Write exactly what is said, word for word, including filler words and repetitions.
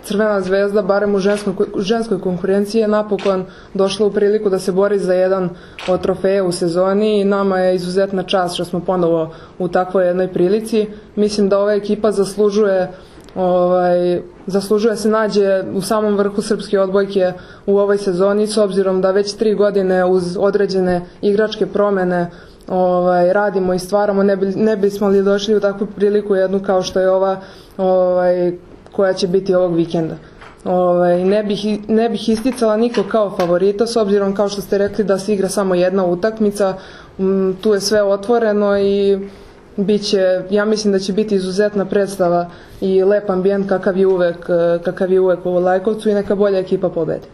Crvena zvezda, barem u ženskoj, ženskoj konkurenciji, je napokon došla u priliku da se bori za jedan od trofeja u sezoni i nama je izuzetna čast što smo ponovo u takvoj jednoj prilici. Mislim da ova ekipa zaslužuje Ovaj, zaslužuje se nađe u samom vrhu srpske odbojke u ovoj sezoni, s obzirom da već tri godine uz određene igračke promene ovaj, radimo i stvaramo, ne, bi, ne bismo li došli u takvu priliku jednu kao što je ova ovaj, koja će biti ovog vikenda. Ovaj, ne, bih, ne bih isticala niko kao favorita, s obzirom kao što ste rekli da se igra samo jedna utakmica, m, tu je sve otvoreno i biće, ja mislim da će biti izuzetna predstava i lep ambijent kakav je uvek, kakav je uvek u Lajkovcu i neka bolja ekipa pobedi.